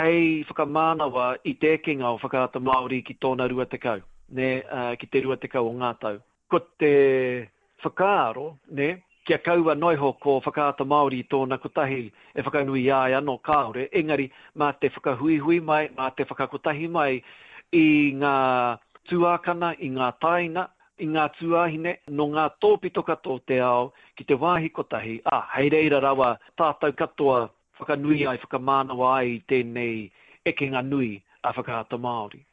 Hei whakamānawa i te ekenga o Whakaata Māori ki tōna 20, nē, ki te 20 o ngā tau. Ko te whakaaro, nē, kia kaua noa iho ko Whakaata Māori i tōna kotahi e whakanuia ai anō, kāore, engari mā te whakahuihui mai, mā te whakakotahi mai i ngā tuākana, i ngā tāina, i ngā tuāhine nō ngā tōpito katoa o te ao ki te wāhi kotahi, ā, hei reira rawa tātou katoa whakanui ai, whakamānawa ai i tēnei ekenga nui a Whakaata Māori.